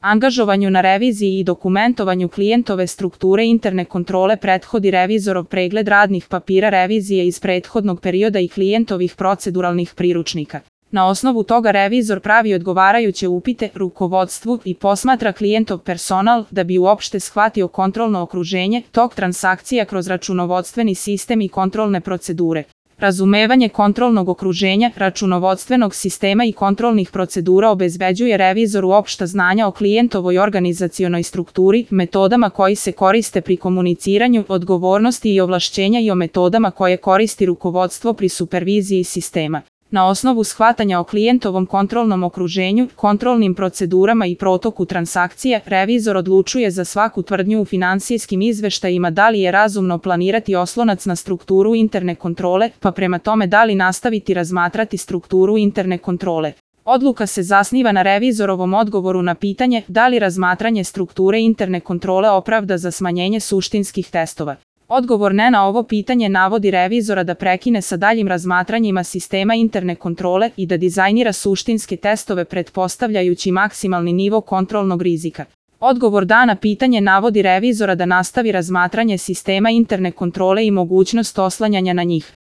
Angažovanju na reviziji i dokumentovanju klijentove strukture interne kontrole prethodi revizorov pregled radnih papira revizije iz prethodnog perioda i klijentovih proceduralnih priručnika. Na osnovu toga revizor pravi odgovarajuće upite rukovodstvu i posmatra klijentov personal da bi uopšte shvatio kontrolno okruženje, tok transakcija kroz računovodstveni sistem i kontrolne procedure. Razumevanje kontrolnog okruženja, računovodstvenog sistema i kontrolnih procedura obezbeđuje revizoru opšta znanja o klijentovoj organizacionoj strukturi, metodama koji se koriste pri komuniciranju, odgovornosti i ovlašćenja i o metodama koje koristi rukovodstvo pri superviziji sistema. Na osnovu shvatanja o klijentovom kontrolnom okruženju, kontrolnim procedurama i protoku transakcija, revizor odlučuje za svaku tvrdnju u finansijskim izveštajima da li je razumno planirati oslonac na strukturu interne kontrole, pa prema tome da li nastaviti razmatrati strukturu interne kontrole. Odluka se zasniva na revizorovom odgovoru na pitanje da li razmatranje strukture interne kontrole opravda za smanjenje suštinskih testova. Odgovor ne na ovo pitanje navodi revizora da prekine sa daljim razmatranjima sistema interne kontrole i da dizajnira suštinske testove pretpostavljajući maksimalni nivo kontrolnog rizika. Odgovor da na pitanje navodi revizora da nastavi razmatranje sistema interne kontrole i mogućnost oslanjanja na njih.